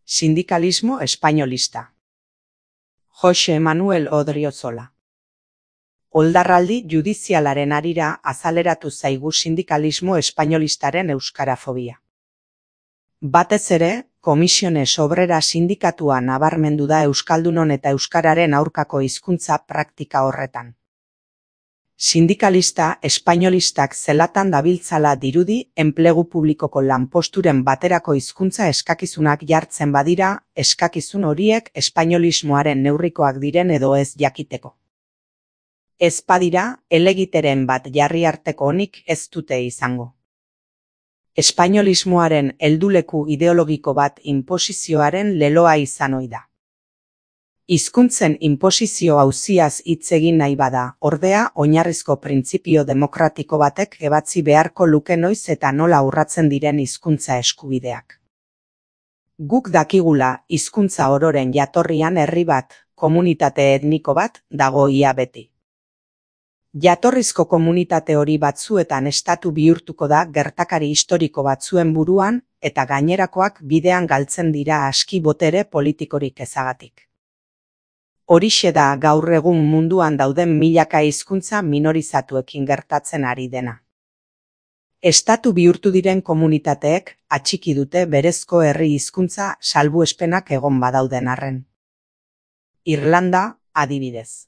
Sindikalismo espainolista. Jose Manuel Odriozola. Oldarraldi judizialaren harira azaleratu zaigu sindikalismo espainolistaren euskarafobia. Batez ere, Comisiones Obrera sindikatua nabarmendu da euskaldunon eta euskararen aurkako hizkuntza praktika horretan. Sindikalista espainolistak zelatan dabiltzala dirudi enplegu publikoko lanposturen baterako hizkuntza eskakizunak jartzen badira, eskakizun horiek espainolismoaren neurrikoak diren edo ez jakiteko. Ez badira, helegiteren bat jarri arteko onik ez dute izango. Espainolismoaren helduleku ideologiko bat inposizioaren leloa izan ohi da. Hizkuntzen inposizio auziaz hitz egin nahi bada, ordea, oinarrizko printzipio demokratiko batek ebatzi beharko luke noiz eta nola urratzen diren hizkuntza eskubideak. Guk dakigula, hizkuntza ororen jatorrian herri bat, komunitate etniko bat, dago ia beti. Jatorrizko komunitate hori batzuetan estatu bihurtuko da gertakari historiko batzuen buruan, eta gainerakoak bidean galtzen dira aski botere politikorik ezagatik. Horixe da gaur egun munduan dauden milaka hizkuntza minorizatuekin gertatzen ari dena. Estatu bihurtu diren komunitateek atxiki dute berezko herri hizkuntza salbuespenak egon badauden arren. Irlanda, adibidez.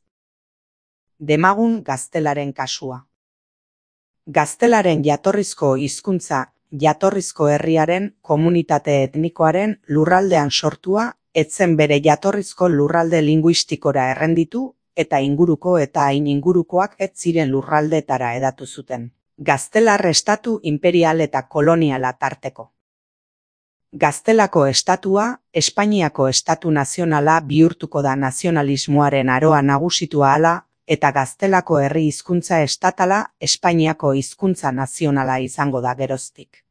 Demagun gaztelaren kasua. Gaztelaren jatorrizko hizkuntza jatorrizko herriaren komunitate etnikoaren lurraldean sortua etzen bere jatorrizko lurralde linguistikora errenditu eta inguruko eta hain ingurukoak ez ziren lurraldetara hedatu zuten. Gaztelar estatu imperial eta koloniala tarteko. Gaztelako estatua, Espainiako estatu nazionala bihurtuko da nazionalismoaren aroa nagusitua hala, eta gaztelako herri hizkuntza estatala Espainiako hizkuntza nazionala izango da geroztik.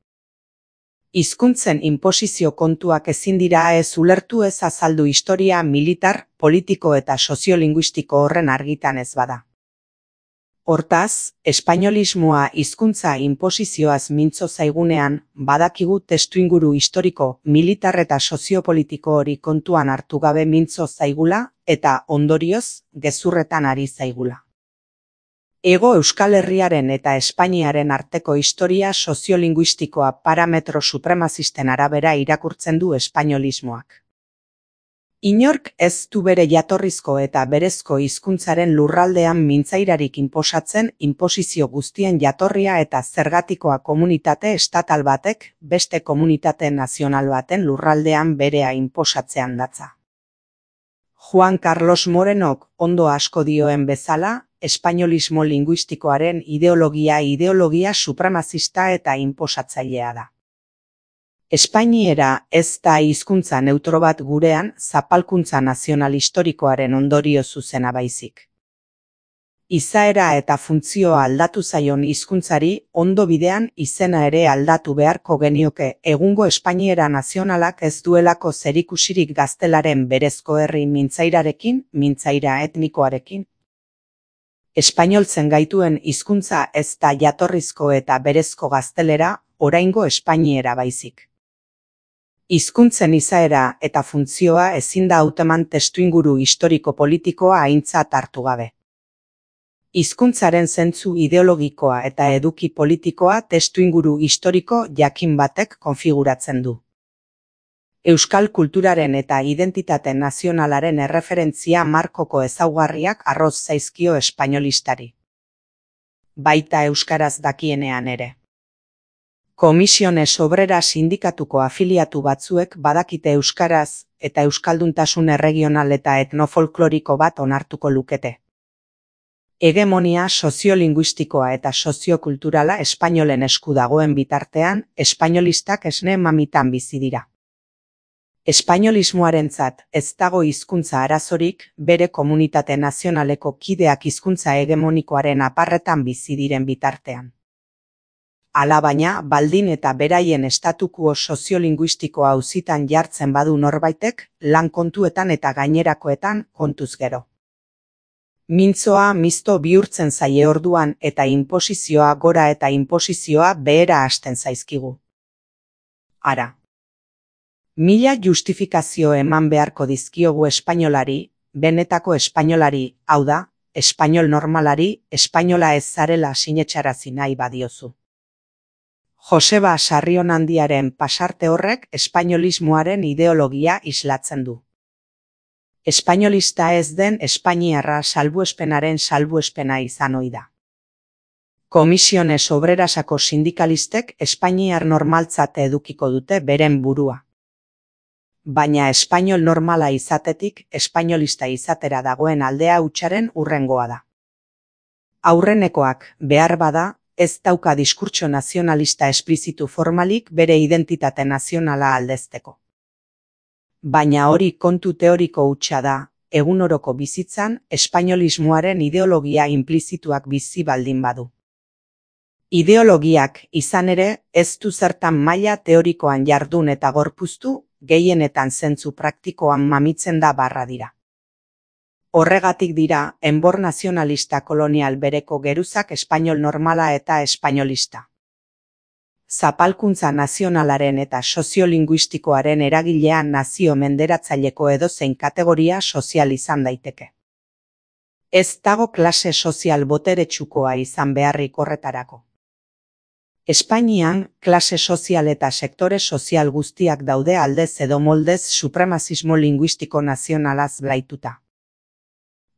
Hizkuntzen inposizio kontuak ezin dira ez ulertu ez azaldu historia militar, politiko eta soziolinguistiko horren argitan ez bada. Hortaz, espainolismoa hizkuntza inposizioaz mintzo zaigunean, badakigu testuinguru historiko, militar eta soziopolitiko hori kontuan hartu gabe mintzo zaigula, eta ondorioz, gezurretan ari zaigula. Hego Euskal Herriaren eta Espainiaren arteko historia soziolinguistikoa parametro supremazisten arabera irakurtzen du espainolismoak. Inork ez du bere jatorrizko eta berezko hizkuntzaren lurraldean mintzairarik inposatzen inposizio guztien jatorria eta zergatikoa komunitate estatal batek beste komunitate nazional baten lurraldean berea inposatzean datza. Juan Carlos Morenok ondo asko dioen bezala, espainolismo linguistikoaren ideologia supremazista eta inposatzailea da. Espainiera ez da hizkuntza neutro bat gurean zapalkuntza nazional historikoaren ondorio zuzena baizik. Izaera eta funtzioa aldatu zaion hizkuntzari ondo bidean izena ere aldatu beharko genioke egungo Espainiera nazionalak ez duelako zerikusirik gaztelaren berezko herri mintzairarekin, mintzaira etnikoarekin. Espainoltzen gaituen hizkuntza ez da jatorrizko eta berezko gaztelera, oraingo Espainiera baizik. Hizkuntzen izaera eta funtzioa ezin da hauteman testuinguru historiko-politikoa aintzat hartu gabe. Hizkuntzaren zentzu ideologikoa eta eduki politikoa testuinguru historiko jakin batek konfiguratzen du. Euskal kulturaren eta identitate nazionalaren erreferentzia markoko ezaugarriak arroz zaizkio espainolistari. Baita euskaraz dakienean ere. Comisiones Obrera sindikatuko afiliatu batzuek badakite euskaraz eta euskalduntasun erregional eta etnofolkloriko bat onartuko lukete. Hegemonia soziolinguistikoa eta soziokulturala espainolen esku dagoen bitartean, espainolistak esne mamitan bizi dira. Espainolismoarentzat ez dago hizkuntza arazorik, bere komunitate nazionaleko kideak hizkuntza hegemonikoaren aparretan bizi diren bitartean. Alabaina, baldin eta beraien estatukuo soziolinguistikoa auzitan jartzen badu norbaitek, lan kontuetan eta gainerakoetan kontuz gero. Mintzoa mizto bihurtzen zaie orduan eta inposizioa gora eta inposizioa behera hasten zaizkigu. Ara. Mila justifikazio eman beharko dizkiogu espainolari, benetako espainolari, hau da, espainol normalari, espainola ez zarela sinetxarazi nahi badiozu. Joseba Sarrionandiaren pasarte horrek espainolismoaren ideologia islatzen du. Espainolista ez den espainiarra salbuespenaren salbuespena izan ohi da. Komisiones Obrerasako sindikalistek espainiar normaltzat edukiko dute beren burua. Baina espainol normala izatetik espainolista izatera dagoen aldea hutsaren hurrengoa da. Aurrenekoak behar bada, ez dauka diskurtso nazionalista esplizitu formalik bere identitate nazionala aldezteko. Baina hori kontu teoriko hutsa da, egunoroko bizitzan espainolismoaren ideologia inplizituak bizi baldin badu. Ideologiak izan ere ez du zertan maila teorikoan jardun eta gorpuztu, gehienetan zentzu praktikoan mamitzen da barra dira. Horregatik dira, enbor nazionalista kolonial bereko geruzak espainol normala eta espainolista. Zapalkuntza nazionalaren eta soziolinguistikoaren eragilean nazio menderatzaileko edozein kategoria sozial izan daiteke. Ez dago klase sozial boteretsukoa izan beharrik horretarako. Espainian, klase sozial eta sektore sozial guztiak daude aldez edo moldez supremazismo linguistiko nazionalaz blaituta.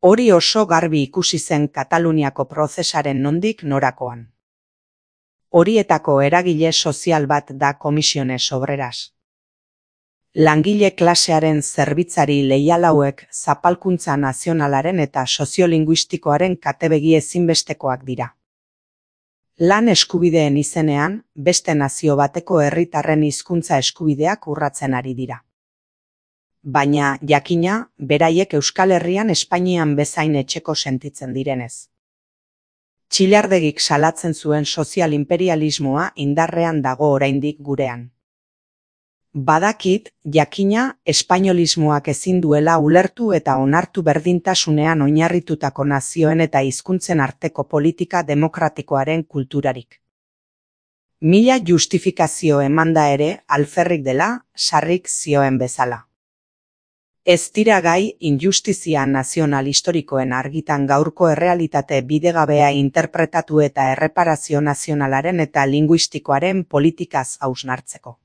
Hori oso garbi ikusi zen Kataluniako prozesaren nondik norakoan. Horietako eragile sozial bat da Komisiones Obreras. Langile klasearen zerbitzari leial hauek zapalkuntza nazionalaren eta soziolinguistikoaren katebegi ezinbestekoak dira. Lan eskubideen izenean, beste nazio bateko herritarren hizkuntza eskubideak urratzen ari dira. Baina, jakina, beraiek Euskal Herrian Espainian bezain etxeko sentitzen direnez. Txilardegik salatzen zuen sozial imperialismoa indarrean dago oraindik gurean. Badakit, jakina, espainolismoak ezin duela ulertu eta onartu berdintasunean oinarritutako nazioen eta hizkuntzen arteko politika demokratikoaren kulturarik. Mila justifikazio emanda ere alferrik dela, Sarrik zioen bezala. Ez dira gai injustizia nazional historikoen argitan gaurko errealitate bidegabea interpretatu eta erreparazio nazionalaren eta linguistikoaren politikaz hausnartzeko.